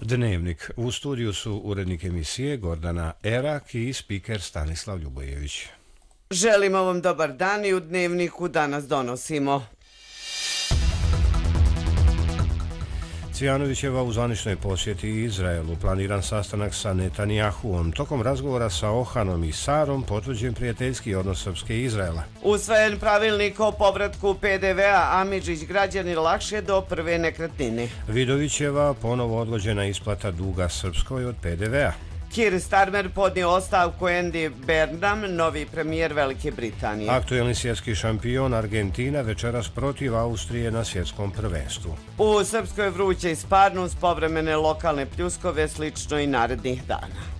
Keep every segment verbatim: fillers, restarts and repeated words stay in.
Dnevnik. U studiju su urednik emisije Gordana Erak i spiker Stanislav Ljubojević. Želimo vam dobar dan i u Dnevniku danas donosimo. Cvijanovićeva u zvaničnoj posjeti Izraelu, planiran sastanak sa Netanjahuom. Tokom razgovora sa Ohanom i Sarom potvrđen prijateljski odnos Srpske i Izraela. Usvojen pravilnik o povratku P D V-a, Amidžić građani lakše do prve nekretnine. Vidovićeva ponovo odgođena isplata duga Srpskoj od P D V-a. Keir Starmer podnio ostavku Andy Burnham, novi premijer Velike Britanije. Aktuelni svjetski šampion Argentina večeras protiv Austrije na svjetskom prvenstvu. U Srpskoj vruće ispadnu uz povremene lokalne pljuskove, slično i narednih dana.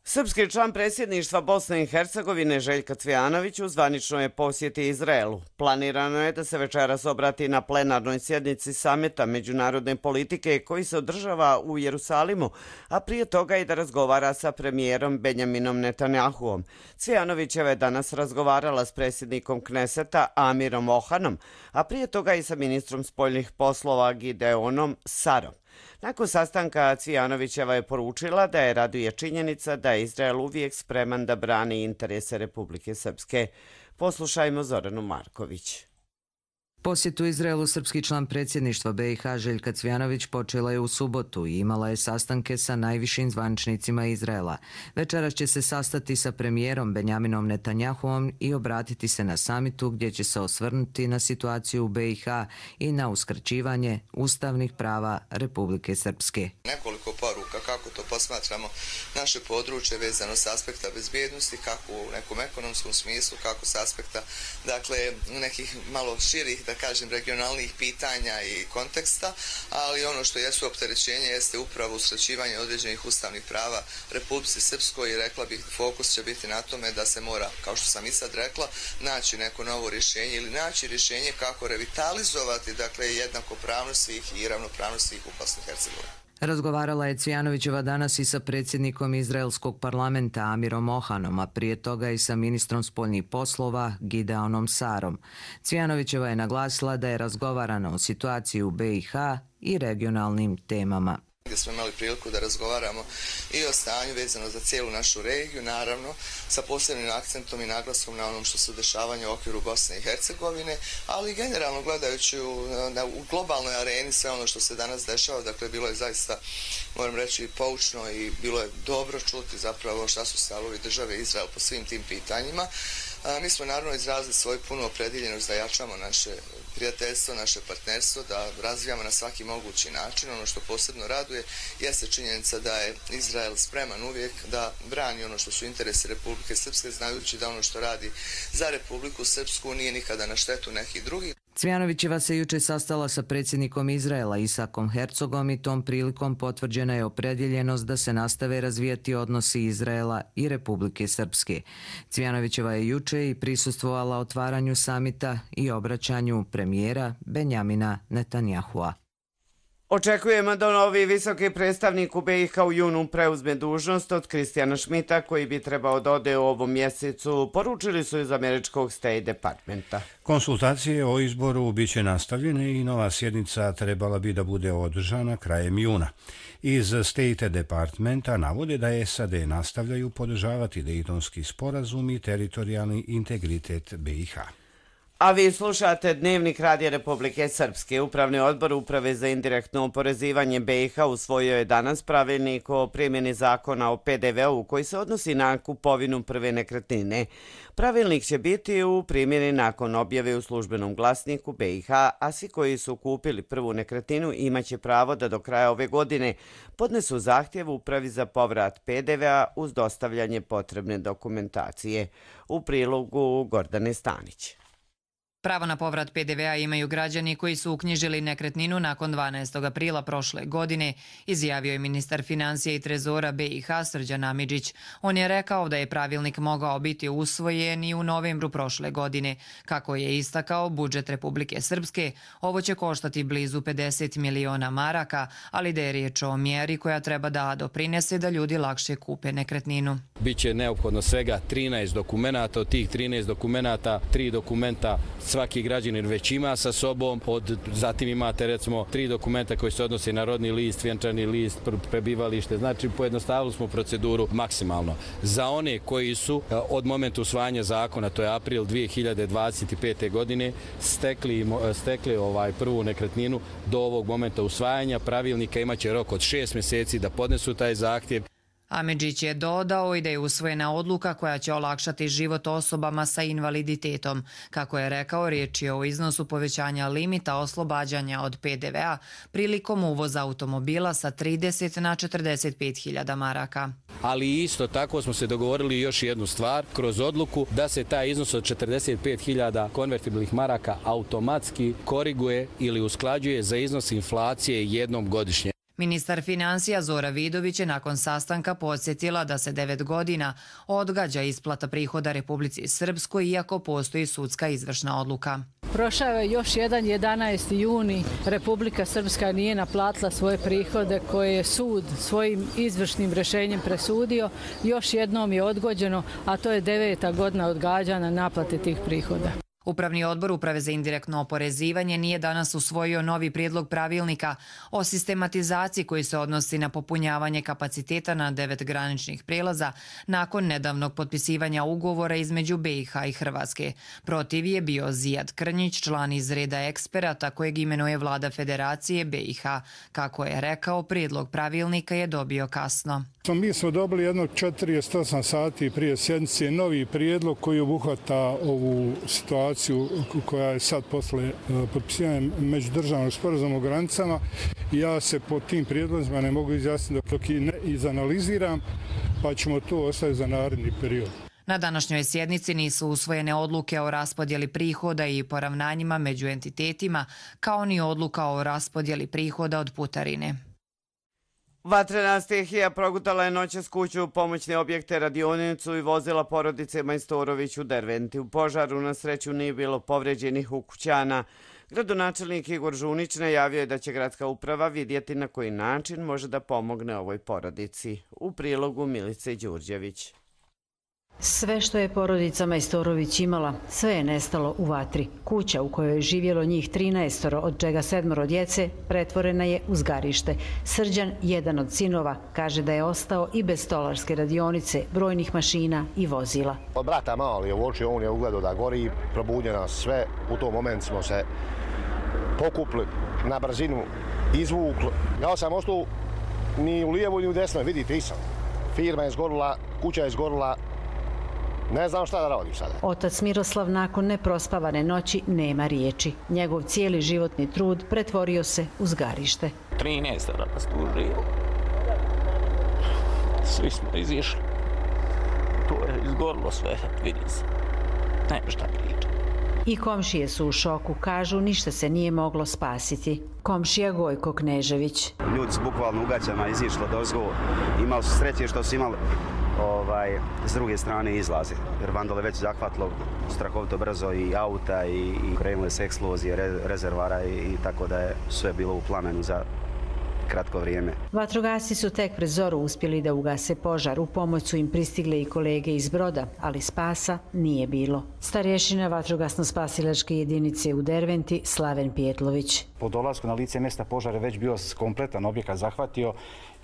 Srpski član predsjedništva Bosne i Hercegovine Željka Cvijanović u zvaničnoj posjeti Izraelu. Planirano je da se večeras obrati na plenarnoj sjednici samita međunarodne politike koji se održava u Jerusalimu, a prije toga i da razgovara sa premijerom Benjaminom Netanjahuom. Cvijanovićeva je danas razgovarala s predsjednikom Kneseta Amirom Ohanom, a prije toga i sa ministrom spoljnih poslova Gideonom Sarom. Nakon sastanka Cvijanovićeva je poručila da je raduje činjenica da je Izrael uvijek spreman da brani interese Republike Srpske. Poslušajmo Zoranu Marković. Posjet u Izraelu srpski član predsjedništva B i H Željka Cvijanović počela je u subotu i imala je sastanke sa najvišim zvaničnicima Izraela. Večeras će se sastati sa premijerom Benjaminom Netanjahuom i obratiti se na samitu gdje će se osvrnuti na situaciju u B i H i na uskraćivanje ustavnih prava Republike Srpske. Nekoliko poruka kako to posmatramo naše područje vezano s aspekta bezbjednosti, kako u nekom ekonomskom smislu, kako s aspekta dakle nekih malo širih da kažem regionalnih pitanja i konteksta, ali ono što jesu opterećenje jeste upravo uskraćivanje određenih ustavnih prava Republici Srpskoj i rekla bih fokus će biti na tome da se mora, kao što sam i sad rekla, naći neko novo rješenje ili naći rješenje kako revitalizovati dakle jednakopravnost svih i ravnopravnost svih u Bosni i Hercegovini. Razgovarala je Cvijanovićeva danas i sa predsjednikom Izraelskog parlamenta Amirom Ohanom, a prije toga i sa ministrom spoljnih poslova Gideonom Sarom. Cvijanovićeva je naglasila da je razgovarano o situaciji u B i H i regionalnim temama. Gdje smo imali priliku da razgovaramo i o stanju vezano za cijelu našu regiju, naravno sa posebnim akcentom i naglaskom na onom što se dešavanje u okviru Bosne i Hercegovine, ali generalno gledajući u, na, u globalnoj areni sve ono što se danas dešava, dakle bilo je zaista, moram reći, poučno i bilo je dobro čuti zapravo šta su stavovi države Izrael po svim tim pitanjima. A, mi smo naravno izrazili svoju punu opredjeljenost da jačamo naše prijateljstvo, naše partnerstvo, da razvijamo na svaki mogući način. Ono što posebno raduje jeste činjenica da je Izrael spreman uvijek da brani ono što su interesi Republike Srpske, znajući da ono što radi za Republiku Srpsku nije nikada na štetu nekih drugih. Cvijanovićeva se juče sastala sa predsjednikom Izraela Isakom Herzogom i tom prilikom potvrđena je opredjeljenost da se nastave razvijati odnosi Izraela i Republike Srpske. Cvijanovićeva je juče i prisustvovala otvaranju samita i obraćanju premijera Benjamina Netanjahua. Očekujemo da novi visoki predstavnik u B i H u junu preuzme dužnost od Kristijana Šmita, koji bi trebao da ode u ovom mjesecu, poručili su iz američkog State Departmenta. Konsultacije o izboru biće nastavljene i nova sjednica trebala bi da bude održana krajem juna. Iz State Departmenta navode da S A D nastavljaju podržavati Dejtonski sporazum i teritorijalni integritet B i H. A vi slušate Dnevnik Radija Republike Srpske. Upravni odbor Uprave za indirektno oporezivanje B i H usvojio je danas pravilnik o primjeni zakona o P D V-u koji se odnosi na kupovinu prve nekretnine. Pravilnik će biti u primjeni nakon objave u službenom glasniku B i H, a svi koji su kupili prvu nekretninu imaće pravo da do kraja ove godine podnesu zahtjev Upravi za povrat P D V-a uz dostavljanje potrebne dokumentacije. U prilogu Gordane Stanić. Pravo na povrat P D V-a imaju građani koji su uknjižili nekretninu nakon dvanaestog aprila prošle godine, izjavio je ministar financija i trezora B i H Srđan Amidžić. On je rekao da je pravilnik mogao biti usvojen i u novembru prošle godine. Kako je istakao budžet Republike Srpske, ovo će koštati blizu pedeset miliona maraka, ali da je riječ o mjeri koja treba da doprinese da ljudi lakše kupe nekretninu. biće neophodno svega trinaest dokumenata. Od tih trinaest dokumenata, tri dokumenta svaki građanin već ima sa sobom. Od, zatim imate recimo tri dokumenta koji se odnose na rodni list, vjenčani list, prebivalište. Znači pojednostavili smo proceduru maksimalno. Za one koji su od momenta usvajanja zakona, to je april dvije hiljade dvadeset pete. godine, stekli, stekli ovaj prvu nekretninu do ovog momenta usvajanja pravilnika imaće rok od šest mjeseci da podnesu taj zahtjev. Amidžić je dodao i da je usvojena odluka koja će olakšati život osobama sa invaliditetom. Kako je rekao, riječ je o iznosu povećanja limita oslobađanja od P D V-a prilikom uvoza automobila sa trideset na četrdeset pet hiljada maraka. Ali isto tako smo se dogovorili još jednu stvar kroz odluku da se taj iznos od četrdeset pet hiljada konvertibilnih maraka automatski koriguje ili usklađuje za iznos inflacije jednom godišnje. Ministar financija Zora Vidović je nakon sastanka podsjetila da se devet godina odgađa isplata prihoda Republici Srpskoj iako postoji sudska izvršna odluka. Prošao je još jedan jedanaesti juni. Republika Srpska nije naplatila svoje prihode koje je sud svojim izvršnim rješenjem presudio. Još jednom je odgođeno, a to je deveta godina odgađanja naplate tih prihoda. Upravni odbor Uprave za indirektno oporezivanje nije danas usvojio novi prijedlog pravilnika o sistematizaciji koji se odnosi na popunjavanje kapaciteta na devet graničnih prelaza nakon nedavnog potpisivanja ugovora između B i H i Hrvatske. Protiv je bio Zijad Krnjić, član iz reda eksperata kojeg imenuje vlada Federacije B i H. Kako je rekao, prijedlog pravilnika je dobio kasno. Mi smo dobili jedno četrdeset osam sati prije sjednice novi prijedlog koji obuhvata ovu situaciju koja je sad posle potpisivanja međudržavnog sporazuma o granicama. Ja se po tim prijedlozima ne mogu izjasniti dok ih ne izanaliziram, pa ćemo to ostaviti za naredni period. Na današnjoj sjednici nisu usvojene odluke o raspodjeli prihoda i poravnanjima među entitetima, kao ni odluka o raspodjeli prihoda od putarine. Vatrena stihija progutala je noćas kuću, pomoćne objekte, radionicu i vozila porodice Majstorović u Derventi. U požaru na sreću nije bilo povređenih ukućana. Gradonačelnik Igor Žunić najavio je da će gradska uprava vidjeti na koji način može da pomogne ovoj porodici. U prilogu Milice Đurđević. Sve što je porodica Majstorović imala, sve je nestalo u vatri. Kuća u kojoj je živjelo njih trinaestoro, od čega sedmoro djece, pretvorena je u zgarište. Srđan, jedan od sinova, kaže da je ostao i bez stolarske radionice, brojnih mašina i vozila. Od brata mali je uočio, on je ugledao da gori, probudio nas sve. U tom momentu smo se pokupli, na brzinu izvukli. Ja sam ostao ni u lijevu ni u desnoj, vidite, nisam. Firma je zgorila, kuća je zgorila. Ne znam šta da radim sada. Otac Miroslav nakon neprospavane noći nema riječi. Njegov cijeli životni trud pretvorio se u zgarište. trinaest nas tu živo. Svi smo izišli. To je izgorilo sve, vidi se. Nema šta priča. I komšije su u šoku, kažu ništa se nije moglo spasiti. Komšija Gojko Knežević. Ljudi su bukvalno u gaćama izišli dozgo. Imali su sreće što su imali Ovaj, s druge strane izlazi, jer vandale već zahvatilo strahovito brzo i auta i, i krenule se eksplozije re, rezervara i, i tako da je sve bilo u plamenu za kratko vrijeme. Vatrogasci su tek pred zoru uspjeli da ugase požar. U pomoć su im pristigle i kolege iz Broda, ali spasa nije bilo. Starješina vatrogasno-spasilačke jedinice u Derventi Slaven Pijetlović. Po dolasku na lice mjesta požar je već bio kompletan objekat zahvatio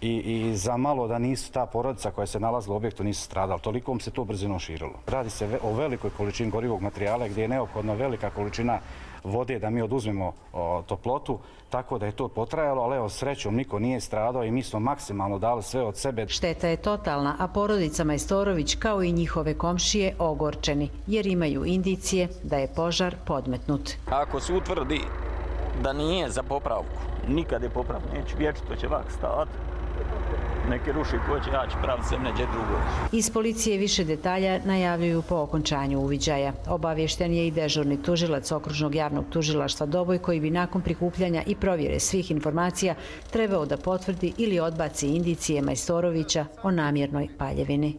i, i za malo da nisu ta porodica koja se nalazila u objektu nisu stradali. Tolikom se to brzinom širilo. Radi se o velikoj količini gorivog materijala gdje je neophodna velika količina vode da mi oduzmemo o, toplotu, tako da je to potrajalo, ali evo srećom niko nije stradao i mi smo maksimalno dali sve od sebe. Šteta je totalna, a porodica Majstorović kao i njihove komšije ogorčeni, jer imaju indicije da je požar podmetnut. Ako se utvrdi da nije za popravku, nikad je popravku neće, vječito će ovak stati. Neki ruši ko će jaći pravce neđe drugo. Iz policije više detalja najavljuju po okončanju uviđaja. Obavješten je i dežurni tužilac okružnog javnog tužilaštva Doboj koji bi nakon prikupljanja i provjere svih informacija trebao da potvrdi ili odbaci indicije Majstorovića o namjernoj paljevini.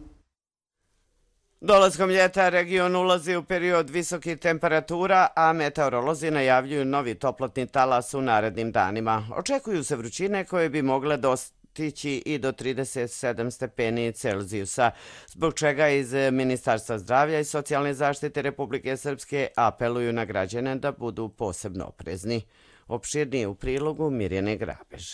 Dolaskom ljeta region ulazi u period visokih temperatura, a meteorolozi najavljuju novi toplotni talas u narednim danima. Očekuju se vrućine koje bi mogle stići i do trideset sedam stepeni Celzijusa, zbog čega iz Ministarstva zdravlja i socijalne zaštite Republike Srpske apeluju na građane da budu posebno oprezni. Opširnije u prilogu Mirjane Grabež.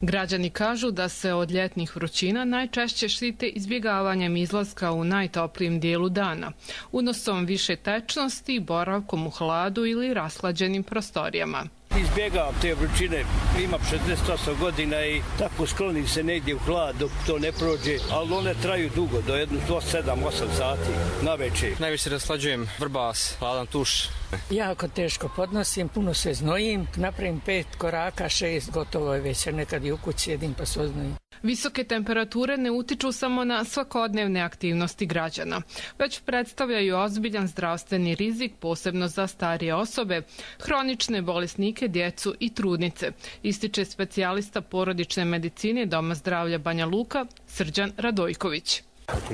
Građani kažu da se od ljetnih vrućina najčešće štite izbjegavanjem izlaska u najtoplijem dijelu dana, unosom više tečnosti, boravkom u hladu ili rashlađenim prostorijama. Izbjegavam te vrućine, imam šezdeset osam godina i tako sklonim se negdje u hlad dok to ne prođe, ali one traju dugo, do jedno, do sedam osam sati na večer. Najviše raslađujem vrbas, hladan tuš. Jako teško podnosim, puno se znojim, napravim pet koraka, šest, gotovo je već, nekad i u kući jedim pa se oznojim. Visoke temperature ne utiču samo na svakodnevne aktivnosti građana, već predstavljaju ozbiljan zdravstveni rizik, posebno za starije osobe, hronične bolesnike, djecu i trudnice, ističe specijalista porodične medicine Doma zdravlja Banja Luka Srđan Radojković.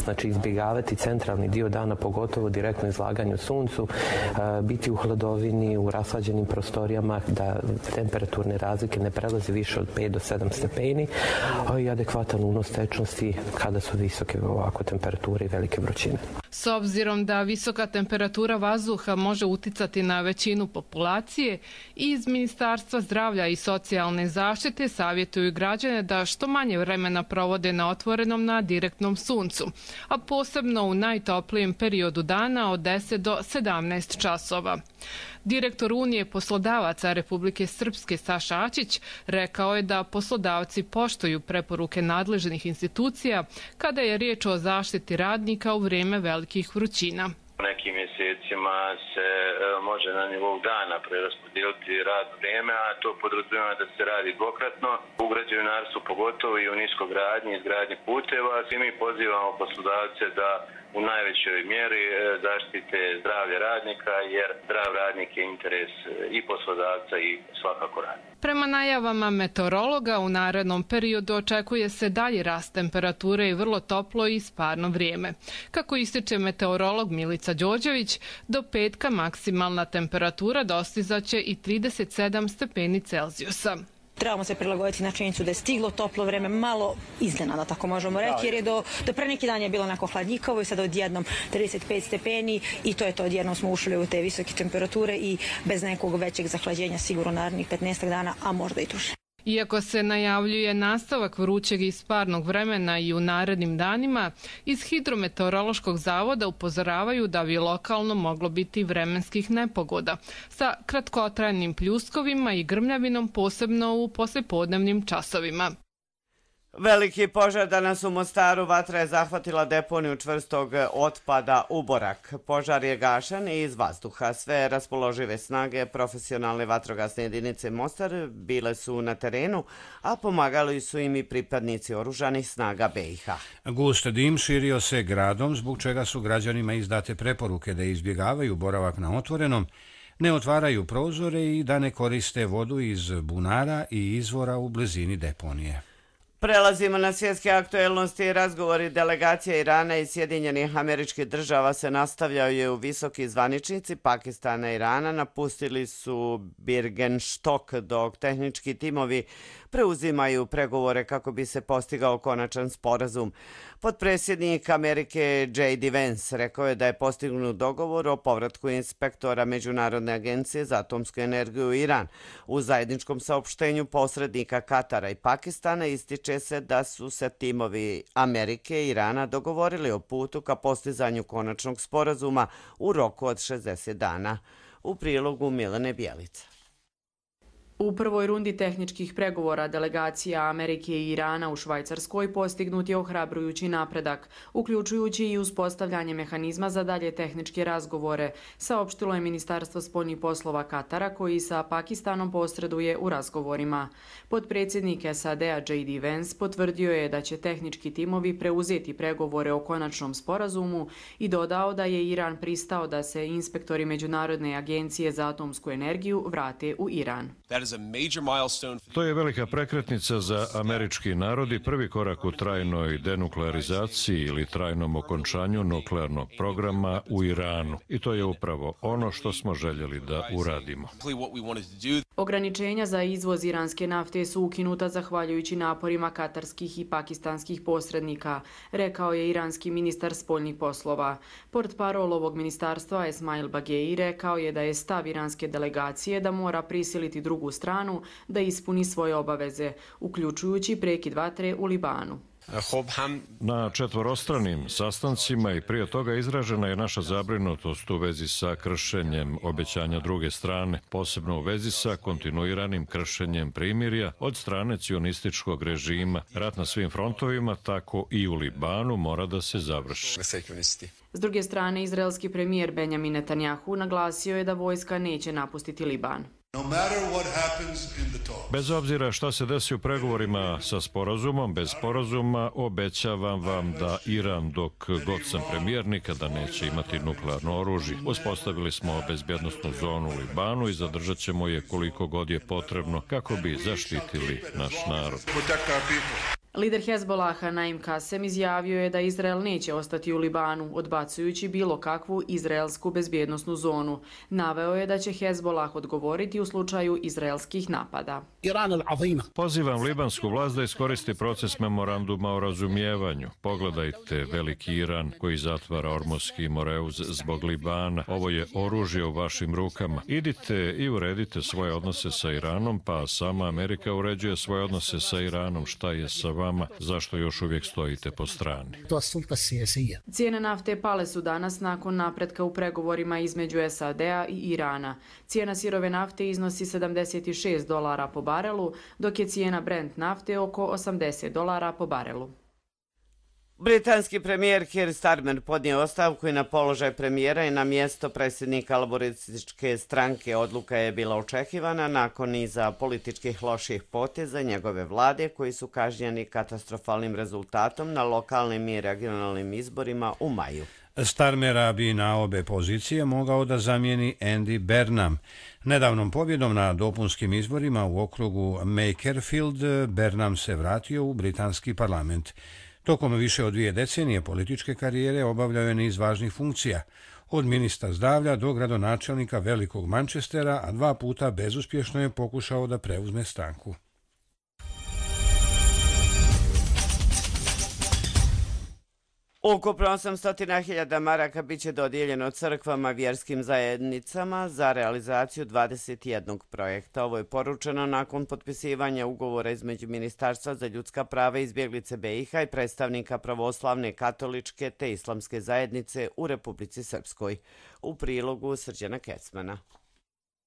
Znači izbjegavati centralni dio dana, pogotovo direktno izlaganju suncu, biti u hladovini, u raslađenim prostorijama, da temperaturne razlike ne prelaze više od pet do sedam stepeni, a i adekvatan unos tečnosti kada su visoke ovako temperature i velike vrućine. S obzirom da visoka temperatura vazduha može uticati na većinu populacije, iz Ministarstva zdravlja i socijalne zaštite savjetuju građane da što manje vremena provode na otvorenom na direktnom suncu, a posebno u najtoplijem periodu dana od deset do sedamnaest časova. Direktor Unije poslodavaca Republike Srpske Saša Ačić rekao je da poslodavci poštuju preporuke nadležnih institucija kada je riječ o zaštiti radnika u vrijeme velikih vrućina. U nekim mjesecima se može na nivou dana preraspodijeliti radno vrijeme, a to podrazumijeva da se radi dvokratno. U građevinarstvu pogotovo i u niskogradnji, izgradnji puteva. Svi mi pozivamo poslodavce da u najvećoj mjeri zaštite zdravlje radnika, jer zdrav radnik je interes i poslodavca i svakako radnika. Prema najavama meteorologa u narednom periodu očekuje se dalji rast temperature i vrlo toplo i sparno vrijeme. Kako ističe meteorolog Milica Đorđević, do petka maksimalna temperatura dostizaće i trideset sedam stepeni Celzijusa. Trebamo se prilagoditi na činjenicu da je stiglo toplo vreme, malo iznenada, tako možemo reći, jer je do, do pre neki dan je bilo onako hladnjikavo i sada odjednom trideset pet stepeni i to je to, odjednom smo ušli u te visoke temperature i bez nekog većeg zahlađenja sigurno narednih petnaest dana, a možda i duže. Iako se najavljuje nastavak vrućeg i sparnog vremena i u narednim danima, iz Hidrometeorološkog zavoda upozoravaju da bi lokalno moglo biti vremenskih nepogoda sa kratkotrajnim pljuskovima i grmljavinom, posebno u poslijepodnevnim časovima. Veliki požar danas u Mostaru, vatra je zahvatila deponiju čvrstog otpada Uborak. Požar je gašen iz vazduha. Sve raspoložive snage profesionalne vatrogasne jedinice Mostar bile su na terenu, a pomagali su im i pripadnici oružanih snaga B i H. Gust dim širio se gradom, zbog čega su građanima izdate preporuke da izbjegavaju boravak na otvorenom, ne otvaraju prozore i da ne koriste vodu iz bunara i izvora u blizini deponije. Prelazimo na svjetske aktuelnosti. Razgovori delegacija Irana i Sjedinjenih Američkih Država se nastavljaju. Visoki zvaničnici Pakistana i Irana napustili su Birkenstock, dok tehnički timovi preuzimaju pregovore kako bi se postigao konačan sporazum. Potpredsjednik Amerike J D Vance rekao je da je postignut dogovor o povratku inspektora Međunarodne agencije za atomsku energiju u Iran. U zajedničkom saopštenju posrednika Katara i Pakistana ističe se da su se timovi Amerike i Irana dogovorili o putu ka postizanju konačnog sporazuma u roku od šezdeset dana. U prilogu Milane Bjelica. U prvoj rundi tehničkih pregovora delegacija Amerike i Irana u Švajcarskoj postignut je ohrabrujući napredak, uključujući i uspostavljanje mehanizma za dalje tehničke razgovore, saopštilo je Ministarstvo spoljnih poslova Katara, koji sa Pakistanom posreduje u razgovorima. Potpredsjednik S A D-a J D Vance potvrdio je da će tehnički timovi preuzeti pregovore o konačnom sporazumu i dodao da je Iran pristao da se inspektori Međunarodne agencije za atomsku energiju vrate u Iran. To je velika prekretnica za američki narod i prvi korak u trajnoj denuklearizaciji ili trajnom okončanju nuklearnog programa u Iranu. I to je upravo ono što smo željeli da uradimo. Ograničenja za izvoz iranske nafte su ukinuta zahvaljujući naporima katarskih i pakistanskih posrednika, rekao je iranski ministar spoljnih poslova. Portparol ovog ministarstva Esmail Bagei rekao je da je stav iranske delegacije da mora prisiliti drugu stranu da ispuni svoje obaveze, uključujući prekid vatre u Libanu. Na četvorostranim sastancima i prije toga izražena je naša zabrinutost u vezi sa kršenjem obećanja druge strane, posebno u vezi sa kontinuiranim kršenjem primirja od strane cionističkog režima. Rat na svim frontovima, tako i u Libanu, mora da se završi. S druge strane, izraelski premijer Benjamin Netanjahu naglasio je da vojska neće napustiti Liban. Bez obzira šta se desi u pregovorima sa sporazumom, bez sporazuma, obećavam vam da Iran, dok god sam premijer, nikada neće imati nuklearno oružje. Uspostavili smo bezbjednosnu zonu u Libanu i zadržat ćemo je koliko god je potrebno kako bi zaštitili naš narod. Lider Hezbolaha Naim Kasem izjavio je da Izrael neće ostati u Libanu, odbacujući bilo kakvu izraelsku bezbjednosnu zonu. Naveo je da će Hezbolah odgovoriti u slučaju izraelskih napada. Pozivam libansku vlast da iskoristi proces memoranduma o razumijevanju. Pogledajte veliki Iran koji zatvara Ormoski Moreuz zbog Libana. Ovo je oružje u vašim rukama. Idite i uredite svoje odnose sa Iranom, pa sama Amerika uređuje svoje odnose sa Iranom. Šta je sa vama? Zašto još uvijek stojite po strani? Cijene nafte pale su danas nakon napretka u pregovorima između S A D-a i Irana. Cijena sirove nafte iznosi sedamdeset šest dolara po barelu, dok je cijena Brent nafte oko osamdeset dolara po barelu. Britanski premijer Keir Starmer podnio ostavku i na položaj premijera i na mjesto predsjednika laborističke stranke. Odluka je bila očekivana nakon niza političkih loših poteza njegove vlade koji su kažnjeni katastrofalnim rezultatom na lokalnim i regionalnim izborima u maju. Starmera bi na obe pozicije mogao da zamijeni Andy Burnham. Nedavnom pobjedom na dopunskim izborima u okrugu Makerfield, Burnham se vratio u britanski parlament. Tokom više od dvije decenije političke karijere obavljao je niz važnih funkcija, od ministra zdravlja do gradonačelnika Velikog Manchestera, a dva puta bezuspješno je pokušao da preuzme stranku. Ukupno osamsto hiljada maraka bit će dodijeljeno crkvama, vjerskim zajednicama za realizaciju dvadeset jednog projekta. Ovo je poručeno nakon potpisivanja ugovora između Ministarstva za ljudska prava i izbjeglice B i H i predstavnika pravoslavne, katoličke te islamske zajednice u Republici Srpskoj. U prilogu Srđana Kecmana.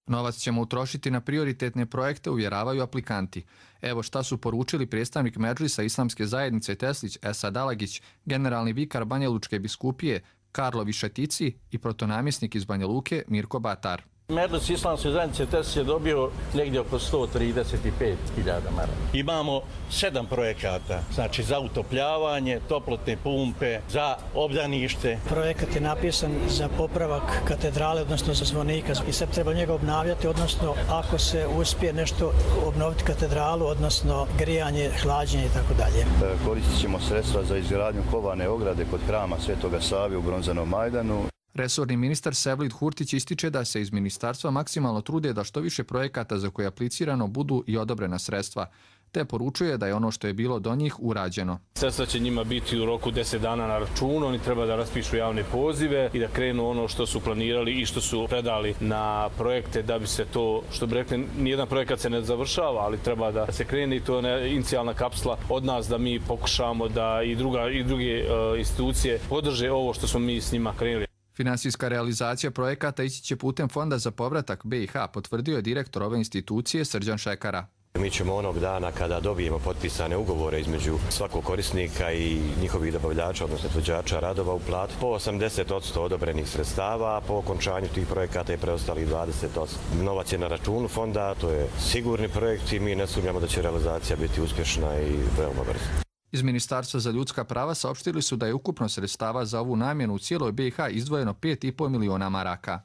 Novac ćemo utrošiti na prioritetne projekte, uvjeravaju aplikanti. Evo šta su poručili predstavnik Medžlisa Islamske zajednice Teslić Esad Alagić, generalni vikar Banja Lučke biskupije Karlo Višetici i protonamjesnik iz Banja Luke Mirko Batar. Medžlis Islamske zajednice Teslić je dobio negdje oko sto trideset pet hiljada maraka. Imamo sedam projekata, znači za utopljavanje, toplotne pumpe, za obdanište. Projekat je napisan za popravak katedrale, odnosno za zvonika i sad treba njega obnavljati, odnosno ako se uspije nešto obnoviti katedralu, odnosno grijanje, hlađenje i tako dalje. Koristit ćemo sredstva za izgradnju kovane ograde kod hrama Svetoga Save u Bronzanom Majdanu. Resorni ministar Sevlid Hurtić ističe da se iz ministarstva maksimalno trude da što više projekata za koje je aplicirano budu i odobrena sredstva, te poručuje da je ono što je bilo do njih urađeno. Sredstva će njima biti u roku deset dana na računu, oni treba da raspišu javne pozive i da krenu ono što su planirali i što su predali na projekte da bi se to, što bi rekli, nijedan projekat se ne završava, ali treba da se krene i to je inicijalna kapsula od nas da mi pokušamo da i, druga, i druge uh, institucije podrže ovo što smo mi s njima krenuli. Finansijska realizacija projekata ići će putem Fonda za povratak B i H, potvrdio je direktor ove institucije Srđan Šekara. Mi ćemo onog dana kada dobijemo potpisane ugovore između svakog korisnika i njihovih dobavljača, odnosno izvođača radova, uplatiti po osamdeset posto odobrenih sredstava, a po okončanju tih projekata je preostalih dvadeset posto. Novac je na računu fonda, to je sigurni projekt i mi ne sumnjamo da će realizacija biti uspješna i veoma brzo. Iz Ministarstva za ljudska prava saopštili su da je ukupno sredstava za ovu namjenu u cijeloj B i H izdvojeno pet i pol miliona maraka.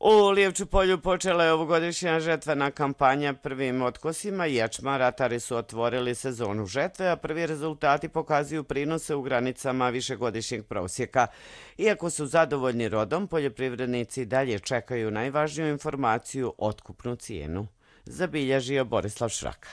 U Lijevču polju počela je ovogodišnja žetvena kampanja prvim otkosima ječma. Ratari su otvorili sezonu žetve, a prvi rezultati pokazuju prinose u granicama višegodišnjeg prosjeka. Iako su zadovoljni rodom, poljoprivrednici dalje čekaju najvažniju informaciju, otkupnu cijenu. Zabilježio Borislav Šraka.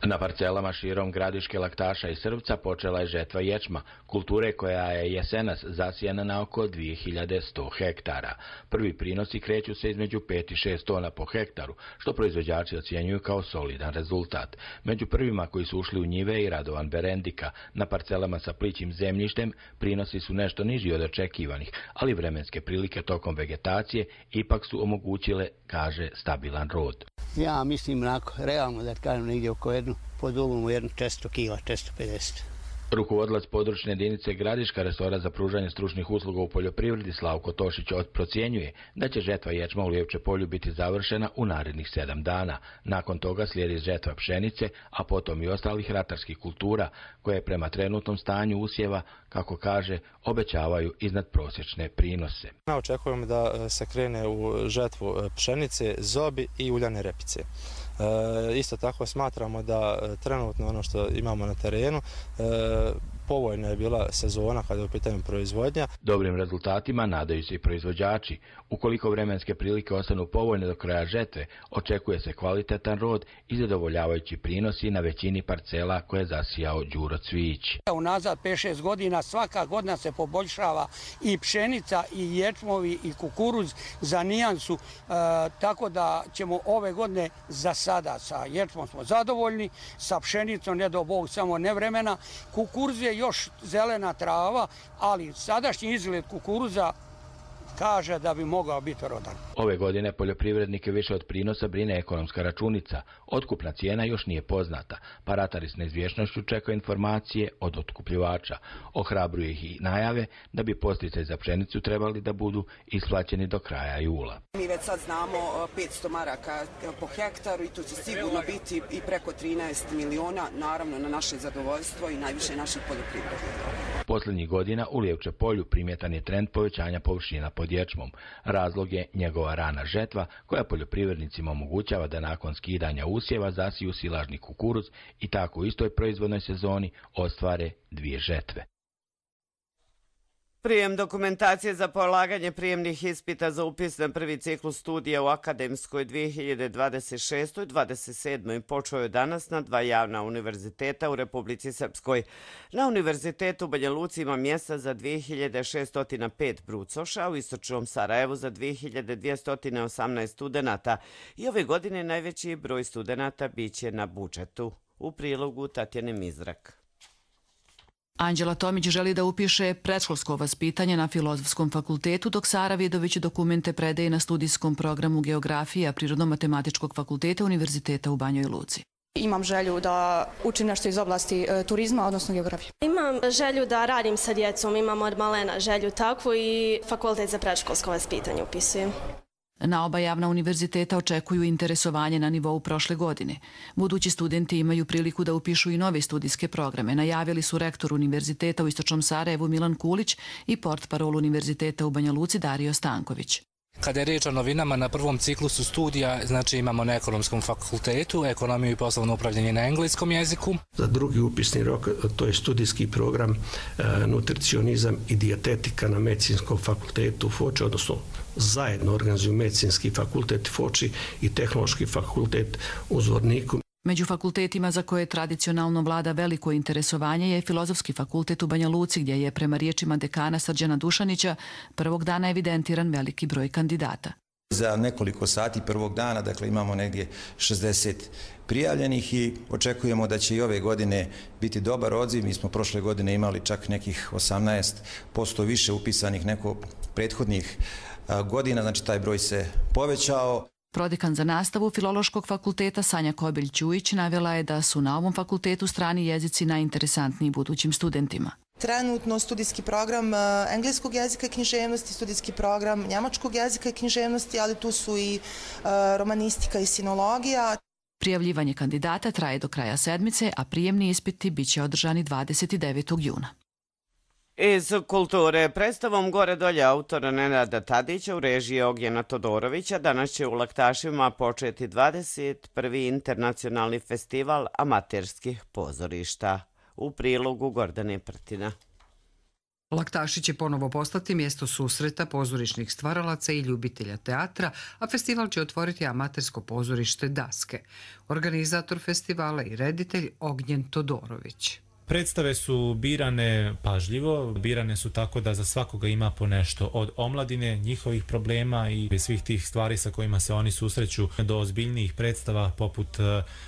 Na parcelama širom Gradiške, Laktaša i Srvca počela je žetva ječma, kulture koja je jesenas zasijana na oko dvije hiljade sto hektara. Prvi prinosi kreću se između pet i šest tona po hektaru, što proizvođači ocjenjuju kao solidan rezultat. Među prvima koji su ušli u njive i Radovan Berendika. Na parcelama sa plićim zemljištem prinosi su nešto niži od očekivanih, ali vremenske prilike tokom vegetacije ipak su omogućile, kaže, stabilan rod. Ja mislim, onako, realno da kažem, negdje oko jednu pod ulom jednu četiristo kila, četiristo pedeset. Rukovodilac područne jedinice Gradiška resora za pružanje stručnih usluga u poljoprivredi Slavko Tošić procjenjuje da će žetva ječma u Lijevče polju biti završena u narednih sedam dana. Nakon toga slijedi žetva pšenice, a potom i ostalih ratarskih kultura koje prema trenutnom stanju usjeva, kako kaže, obećavaju iznad prosječne prinose. Očekujemo da se krene u žetvu pšenice, zobi i uljane repice. E, isto tako smatramo da trenutno ono što imamo na terenu, e, povoljna je bila sezona kada je u pitanju proizvodnja. Dobrim rezultatima nadaju se i proizvođači. Ukoliko vremenske prilike ostanu povoljne do kraja žetve, očekuje se kvalitetan rod i zadovoljavajući prinosi na većini parcela koje je zasijao Đuro Cvijić. Unazad pet šest godina svaka godina se poboljšava i pšenica i ječmovi i kukuruz za nijansu, e, tako da ćemo ove godine za sada sa ječmom smo zadovoljni, sa pšenicom ne do Bog samo nevremena. Kukuruz je još zelena trava, ali sadašnji izgled kukuruza kaže da bi mogao biti rodan. Ove godine poljoprivrednike više od prinosa brine ekonomska računica. Otkupna cijena još nije poznata, pa ratari s neizvjesnošću čekaju informacije od otkupljivača. Ohrabruje ih i najave da bi podsticaj za pšenicu trebali da budu isplaćeni do kraja jula. Mi već sad znamo petsto maraka po hektaru i to će sigurno biti i preko trinaest miliona, naravno na naše zadovoljstvo i najviše naših poljoprivrednika. Posljednjih godina u Lijevče polju primjetan je trend povećanja površina pod ječmom. Razlog je njegova rana žetva koja poljoprivrednicima omogućava da nakon skidanja usjeva zasiju silažni kukuruz i tako u istoj proizvodnoj sezoni ostvare dvije žetve. Prijem dokumentacije za polaganje prijemnih ispita za upis na prvi ciklus studija u akademskoj dvije hiljade dvadeset šestoj dvadeset sedmoj počeo je danas na dva javna univerziteta u Republici Srpskoj. Na univerzitetu u Banja Luci ima mjesta za dvije hiljade šeststo pet brucoša, a u istočnom Sarajevu za dvije hiljade dvjesto osamnaest studenata. I ove godine najveći broj studenata biće na budžetu. U prilogu Tatjane Mizrak. Anđela Tomić želi da upiše predškolsko vaspitanje na Filozofskom fakultetu, dok Sara Vidović dokumente predaje na studijskom programu Geografija Prirodno-matematičkog fakulteta Univerziteta u Banjoj Luci. Imam želju da učim nešto iz oblasti e, turizma, odnosno geografije. Imam želju da radim sa djecom, imam od malena želju takvu i fakultet za predškolsko vaspitanje upisujem. Na oba javna univerziteta očekuju interesovanje na nivou prošle godine. Budući studenti imaju priliku da upišu i nove studijske programe. Najavili su rektor Univerziteta u Istočnom Sarajevu Milan Kulić i portparol Univerziteta u Banja Luci Dario Stanković. Kada je riječ o novinama na prvom ciklusu studija, znači imamo na Ekonomskom fakultetu, ekonomiju i poslovno upravljanje na engleskom jeziku. Za drugi upisni rok, to je studijski program e, nutricionizam i dijetetika na Medicinskom fakultetu Foči, odnosno zajedno organizuju Medicinski fakultet Foči i Tehnološki fakultet u Zvorniku. Među fakultetima za koje tradicionalno vlada veliko interesovanje je Filozofski fakultet u Banja Luci, gdje je prema riječima dekana Srđana Dušanića prvog dana evidentiran veliki broj kandidata. Za nekoliko sati prvog dana, dakle imamo negdje šezdeset prijavljenih i očekujemo da će i ove godine biti dobar odziv. Mi smo prošle godine imali čak nekih osamnaest posto više upisanih neko prethodnih godina, znači taj broj se povećao. Prodekan za nastavu Filološkog fakulteta Sanja Kobilj-Ćujić navela je da su na ovom fakultetu strani jezici najinteresantniji budućim studentima. Trenutno studijski program engleskog jezika i književnosti, studijski program njemačkog jezika i književnosti, ali tu su i romanistika i sinologija. Prijavljivanje kandidata traje do kraja sedmice, a prijemni ispiti biće održani dvadeset devetog juna. Iz kulture, predstavom Gore dolje autora Nenada Tadića u režiji Ognjena Todorovića danas će u Laktašima početi dvadeset prvi internacionalni festival amaterskih pozorišta. U prilogu Gordane Prtina. Laktaši će ponovo postati mjesto susreta pozorišnih stvaralaca i ljubitelja teatra, a festival će otvoriti amatersko pozorište Daske. Organizator festivala i reditelj Ognjen Todorović. Predstave su birane pažljivo, birane su tako da za svakoga ima po nešto, od omladine, njihovih problema i svih tih stvari sa kojima se oni susreću, do ozbiljnijih predstava poput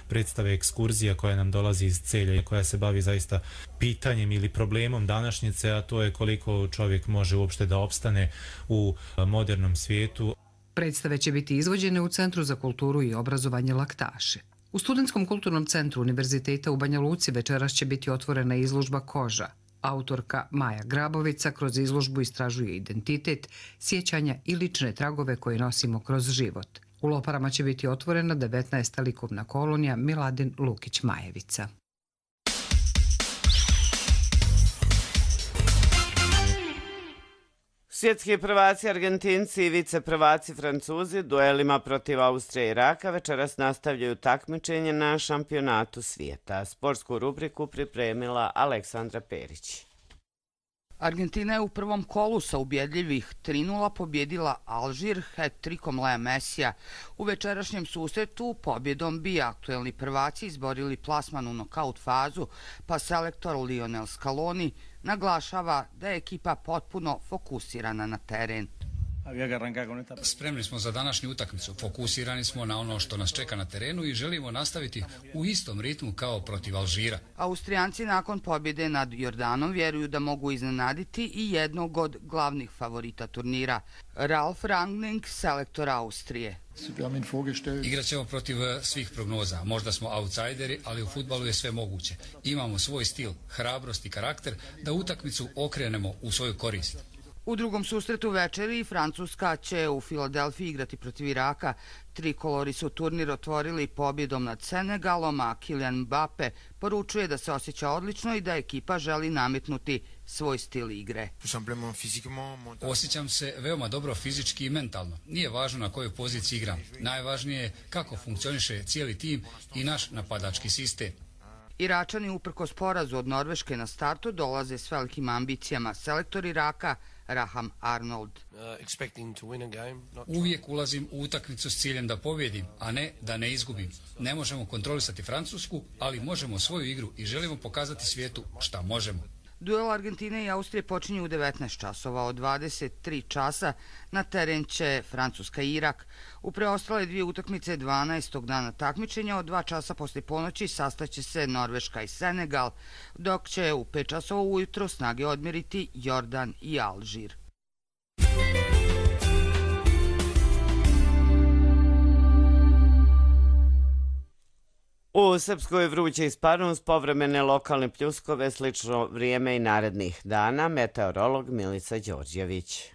predstave Ekskurzija koja nam dolazi iz Celja, koja se bavi zaista pitanjem ili problemom današnjice, a to je koliko čovjek može uopšte da opstane u modernom svijetu. Predstave će biti izvođene u Centru za kulturu i obrazovanje Laktaše. U Studentskom kulturnom centru Univerziteta u Banja Luci večeras će biti otvorena izložba Koža. Autorka Maja Grabovica kroz izložbu istražuje identitet, sjećanja i lične tragove koje nosimo kroz život. U Loparama će biti otvorena devetnaesta likovna kolonija Miladin Lukić-Majevica. Svjetski prvaci Argentinci i viceprvaci Francuzi duelima protiv Austrije i Iraka večeras nastavljaju takmičenje na šampionatu svijeta. Sportsku rubriku pripremila Aleksandra Perić. Argentina je u prvom kolu sa ubjedljivih tri nula pobjedila Alžir hat-trikom Lea Mesija. U večerašnjem susretu pobjedom bi aktuelni prvaci izborili plasman u nokaut fazu, pa selektor Lionel Scaloni naglašava da je ekipa potpuno fokusirana na teren. Spremni smo za današnju utakmicu, fokusirani smo na ono što nas čeka na terenu i želimo nastaviti u istom ritmu kao protiv Alžira. Austrijanci nakon pobjede nad Jordanom vjeruju da mogu iznenaditi i jednog od glavnih favorita turnira, Ralf Rangnick, selektor Austrije. Igrat ćemo protiv svih prognoza. Možda smo outsideri, ali u fudbalu je sve moguće. Imamo svoj stil, hrabrost i karakter da utakmicu okrenemo u svoju korist. U drugom susretu večeri Francuska će u Filadelfiji igrati protiv Iraka. Trikolori su turnir otvorili pobjedom nad Senegalom, a Kylian Mbappe poručuje da se osjeća odlično i da ekipa želi nametnuti svoj stil igre. Osjećam se veoma dobro fizički i mentalno. Nije važno na kojoj poziciji igram. Najvažnije je kako funkcioniše cijeli tim i naš napadački sistem. Iračani uprkos porazu od Norveške na startu dolaze s velikim ambicijama. Selektor Iraka Raham Arnold. Uvijek ulazim u utakmicu s ciljem da pobjedim, a ne da ne izgubim. Ne možemo kontrolisati Francusku, ali možemo svoju igru i želimo pokazati svijetu šta možemo. Duel Argentine i Austrije počinje u devetnaest časova. Od dvadeset tri časa na teren će Francuska i Irak. U preostale dvije utakmice dvanaestog dana takmičenja od dva časa poslije ponoći sastaće se Norveška i Senegal, dok će u pet časova ujutro snage odmjeriti Jordan i Alžir. U Srpskoj vruće isparnu s povremene lokalne pljuskove, slično vrijeme i narednih dana, meteorolog Milica Đorđević.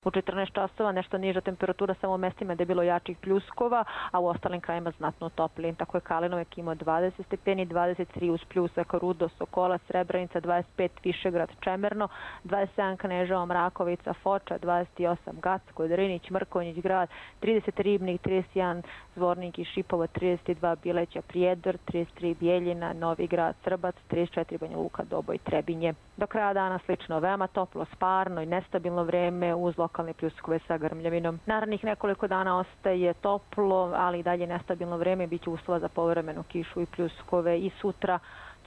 U četrnaest časova nešto niža temperatura samo u mestima gdje je bilo jačih pljuskova, a u ostalim krajima znatno toplije. Tako je Kalinovek imao dvadeset stepeni, dvadeset tri uz pljusak, Rudo, Sokola, Srebrenica, dvadeset pet Višegrad, Čemerno, dvadeset sedam Kneževo, Mrakovica, Foča, dvadeset osam Gacko, Drinić, Mrkonjić grad, trideset Ribnik, trideset jedan Zvornik i Šipovo, trideset dva Bileća, Prijedor, trideset tri Bijeljina, Novi grad, Srbac, trideset četiri Banja Luka, Doboj, Trebinje. Do kraja dana slično veoma toplo, sparno i nestabilno vreme uz lokalne pljuskove sa grmljavinom. Narednih nekoliko dana ostaje toplo, ali i dalje nestabilno vreme, bit će uslova za povremenu kišu i pljuskove i sutra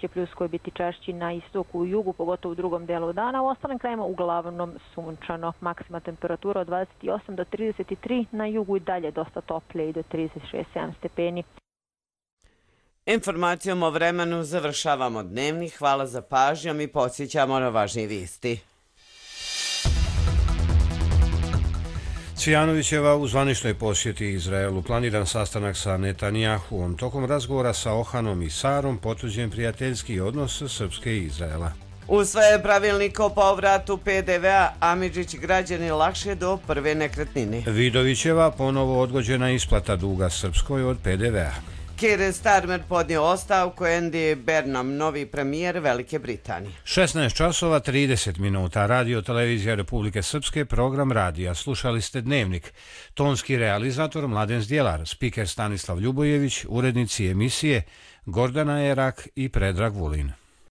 će pljuskovi biti češći na istoku i jugu, pogotovo u drugom delu dana. U ostalim krajima uglavnom sunčano. Maksima temperatura od dvadeset osam do trideset tri, na jugu i dalje dosta toplije i do trideset šest sedam stepeni. Informacijom o vremenu završavamo dnevni. Hvala za pažnjom i podsjećamo na važnije vijesti. Cvijanovićeva u zvaničnoj posjeti Izraelu planiran sastanak sa Netanjahuom. Tokom razgovora sa Ohanom i Sarom potvrđen prijateljski odnos Srpske i Izraela. Usvaja pravilnik o povratu P D V-a, Amidžić građani lakše do prve nekretnine. Vidovićeva ponovo odgođena isplata duga Srpskoj od P D V-a. Keir Starmer podnio ostavku, Andy Burnham, novi premijer Velike Britanije. šesnaest časova trideset minuta, Radio Televizija Republike Srpske, program radija. Slušali ste Dnevnik. Tonski realizator Mladen Zdjelar, spiker Stanislav Ljubojević, urednici emisije Gordana Erak i Predrag Vulin.